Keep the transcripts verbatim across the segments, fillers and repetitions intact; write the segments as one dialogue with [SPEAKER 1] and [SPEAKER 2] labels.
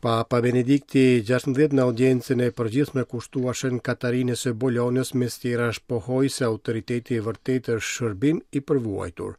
[SPEAKER 1] Papa Benedikti gjashtëmbëdhjetë në audiencën e përgjithshme kushtuar Shën Katarinës së Bolonjës mes tjerash pohoi se autoriteti i vërtetë është shërbim i përvuajtur.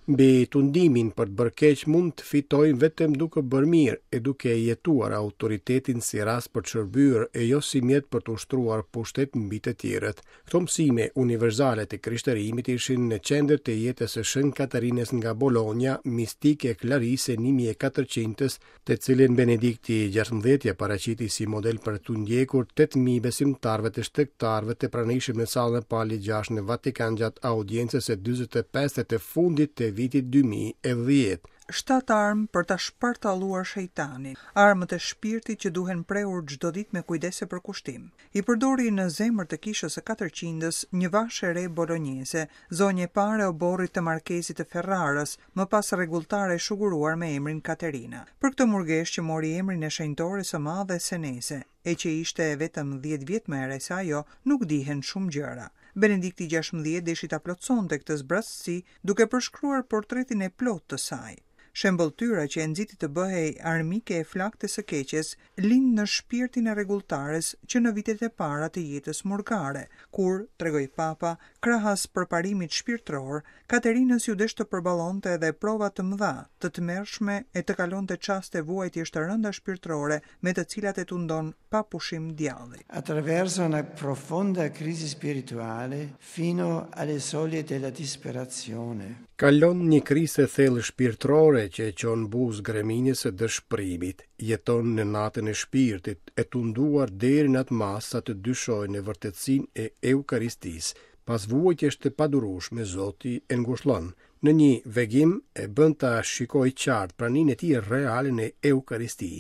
[SPEAKER 1] Mbi tundimin për të bërë keq mund të fitojmë vetëm duke bërë mirë e duke jetuar autoritetin si rast për të shërbyer e jo si mjet për të ushtruar pushtet mbi të tjerët. Këto mësime universale të krishterimit ishin në qendër të jetës së Shën Katarinës nga Bologna, mistike Klarise një mijë e katërqindës, të cilin Benedikti gjashtëmbëdhjetë ja paraqiti si model për të ndjekur tetë mijë besimtarëve të shtegtarëve të pranishëm në sallën e Palit gjashtë në Vatikan gjatë audiencës së dyzet e pestë të fundit të vitit dy mijë e dhjetë.
[SPEAKER 2] Shtatë armë për ta shpartalluar shejtanin, armët e shpirtit që duhen prehur çdo ditë me kujdes e përkushtim. I përdori në zemër të kishës së katërqindës një vashë e re bolonjeze, zonjë e parë e oborrit të markezit të Ferrarës, më pas rregulltare e shuguruar me emrin Katerina. Për këtë murgesh që mori emrin e shenjtores së madhe Seneze, e që ishte vetëm dhjetë vjet më e re se ajo, nuk dihen shumë gjëra. Benedikti gjashtëmbëdhjetë deshi ta plotësonte këtë zbrazësi duke përshkruar portretin e plotë të saj. Shembëlltyra që e nxiti të bëhej armike e flaktës së keqes lind në shpirtin e rregulltares që në vitet e para të jetës murgare, kur, tregoi Papa, krahas përparimit shpirtëror, Katerinës ju desh të përballonte edhe prova të mëdha, të tmerrshme e të kalonte çaste vuajtjesh të rënda shpirtërore me të cilat e tundon pa pushim djalli.
[SPEAKER 3] Attraverso una profonda crisi spirituale fino alle soglie della disperazione.
[SPEAKER 1] Kalon një krizë e thellë shpirtërore që e çon buzë greminës së dëshpërimit, jeton në natën e shpirtit, e tunduar deri në atë masë sa të dyshojë në vërtetësinë e Eukaristisë. Pas vuajtjesh të padurueshme, Zoti e ngushllon. Në një vegim e bën ta shikojë qartë praninë e tij reale në Eukaristi.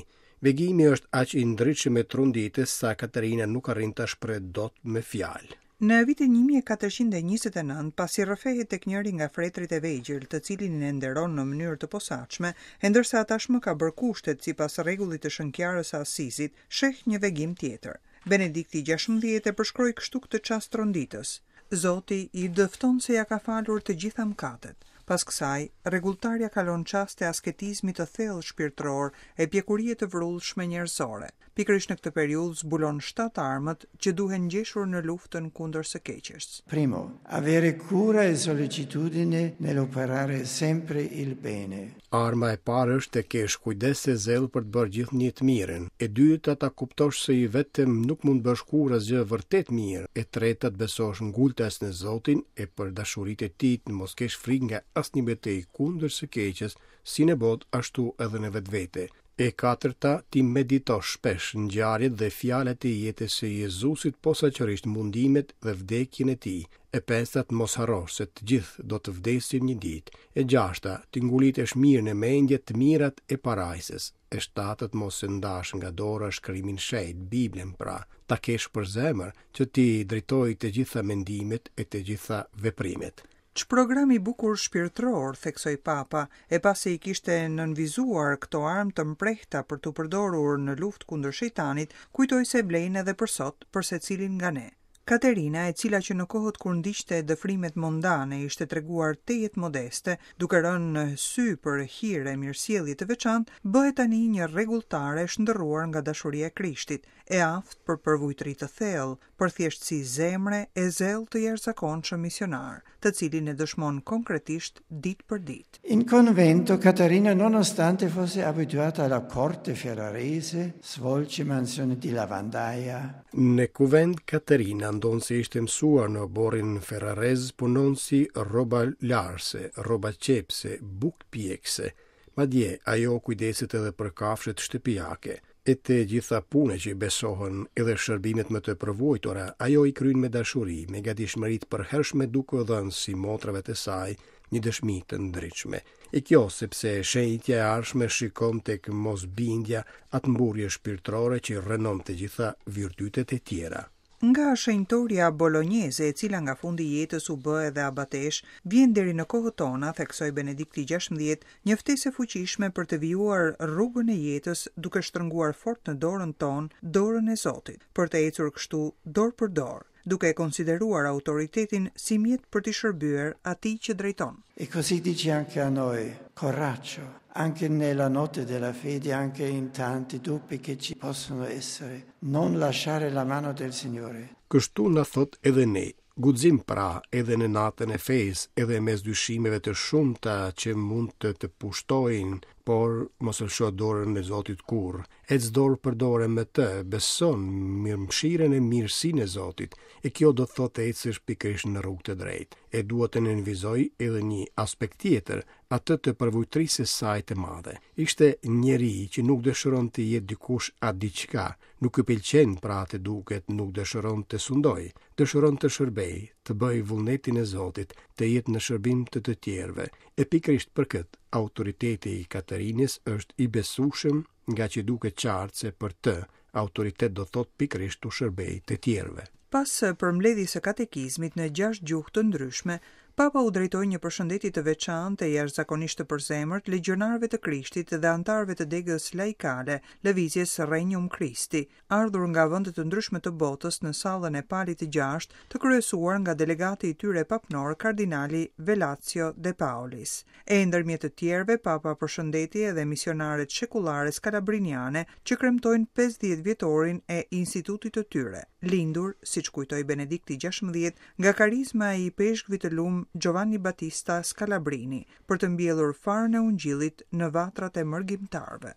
[SPEAKER 1] Vegimi është aq i ndritshëm e tronditës sa Katerina nuk arrin ta shpreh dot me fjalë.
[SPEAKER 2] Në vitin një mijë e katërqind e njëzet e nëntë, pasi rrëfehet tek njëri nga fretrit e vegjël, të cilin e nderon në mënyrë të posaçme, e ndërsa tashmë ka bërë kushtet sipas rregullit të Shënkjarës së Asizit, sheh një vegim tjetër. Benedikti gjashtëmbëdhjetë e përshkroi kështu këtë çast tronditës. Zoti i dëfton se ja ka falur të gjitha mëkatet. Pas kësaj, rregulltarja kalon çaste asketizmi të thellë shpirtëror e pjekurie të vrullshme njerëzore. Pikërisht në këtë periudhë zbulon shtatë armët që duhen ngjeshur në luftën kundër së keqes.
[SPEAKER 3] Primo, avere cura e sollecitudine nell'operare sempre il bene.
[SPEAKER 1] Arma e parë është të kesh kujdes e zell për të bërë gjithnjë të mirën. E dyta, ta kuptosh se i vetëm nuk mund të bësh kurrë asgjë vërtet mirë. E treta, të besosh ngultas në Zotin e për dashuritë e tij të mos kesh frikë nga asnjë betejë kundër së keqes, si në botë ashtu edhe në vetvete. E katërta, ti meditosh shpesh ngjarjet dhe fjalët e jetës së Jezusit, posaçërisht mundimet dhe vdekjen e tij. E pesta, të mos harrosh se të gjithë do të vdesim një ditë. E gjashta, ti ngulitesh mirë në mendje të mirat e parajsës. E shtata, të mos e ndash nga dora shkrimin shenjt, Biblën pra, ta kesh për zemër që ti drejtoj të gjitha mendimet e të gjitha veprimet.
[SPEAKER 2] Ç'program i bukur shpirtëror, theksoi Papa, e pasi i kishte nënvizuar këto armë të mprehta për t'u përdorur në luftë kundër shejtanit, kujtoi se vlejnë edhe për sot, për secilin nga ne. Katerina, e cila që në kohët kur ndiqte dëfrimet mondane ishte treguar tejet modeste, duke rënë në sy për hir e mirësjellje të veçantë, bëhet tani një rregulltare e shndërruar nga dashuria e Krishtit, e aftë për përvujtëri të thellë, për thjeshtësi zemre e zell të jashtëzakonshëm misionar, të cilin e dëshmon konkretisht ditë për ditë.
[SPEAKER 3] In convento Caterina, nonostante fosse abituata alla corte ferrarese, svolge mansioni di lavandaia.
[SPEAKER 1] Në kuvent Katerina, ndonëse ishte mësuar në oborrin ferrarez, punon si rroba larse, rroba qepse, bukë pjekse. Madje ajo kujdeset edhe për kafshët shtëpiake. E të gjitha punët që i besohen, edhe shërbimet më të përvojtura, ajo i kryen me dashuri, me gatishmëri të përhershme, duke u dhënë si motrave të saj një dëshmi të ndritshme. E kjo sepse shenjtja e ardhshme shikon tek mosbindja atë mburrje shpirtërore që rrënon të gjitha virtytet e tjera.
[SPEAKER 2] Nga shenjtoria bolonjeze, e cila nga fundi i jetës u bë edhe abatesh, vjen deri në kohët tona, theksoi Benedikti gjashtëmbëdhjetë, një ftesë e fuqishme për të vijuar rrugën e jetës duke shtrënguar fort në dorën tonë, dorën e Zotit, për të ecur kështu dorë për dorë. duke e konsideruar autoritetin si mjet për t'i shërbyer atij që drejton.
[SPEAKER 3] E così dice anche a noi, coraggio, anche nella notte della fede, anche in tanti dubbi che ci possono essere, non lasciare la mano del Signore.
[SPEAKER 1] Kështu na thotë edhe ne, guxim pra edhe në natën e fesë, edhe mes dyshimeve të shumta që mund të të pushtojnë, por mos lësho dorën e Zotit kurrë. Ec dorë për dorë me të, beson mirëmëshirën e mirësinë e Zotit, e kjo do të thotë të ecësh pikërisht në rrugë të drejtë. E dua të nënvizoj edhe një aspekt tjetër, atë të përvujtrisë së saj të madhe. Ishte njeri që nuk dëshiron të jetë dikush a diçka, nuk i pëlqen pra të duket, nuk dëshiron të sundojë, dëshiron të shërbejë, të bëjë vullnetin e Zotit, të jetë në shërbim të të tjerëve. E pikërisht për këtë, autoriteti i Katarinës është i besueshëm, nga që duket qartë se për të autoritet do thotë pikërisht të shërbejë të tjerëve.
[SPEAKER 2] Pas përmbledhjes së katekizmit në gjashtë gjuhë të ndryshme, Papa u drejtoi një përshëndetje të veçantë e jashtëzakonisht të përzemërt legjionarëve të Krishtit dhe anëtarëve të degës laikale, lëvizjes Regnum Christi, ardhur nga vende të ndryshme të botës në sallën e Palit të Gjashtë, të kryesuar nga delegati i tyre papnor kardinali Velasio De Paolis. E ndërmjet të tjerëve, Papa përshëndeti edhe misionaret shekullare skalabriniane që kremtojnë pesëdhjetë vjetorin e institutit të tyre, lindur, siç kujtoi Benedikti gjashtëmbëdhjetë, nga karizma e ipeshkvit të lum Giovanni Battista Scalabrini, për të mbjellur farën e ungjillit në vatrat e mërgimtarëve.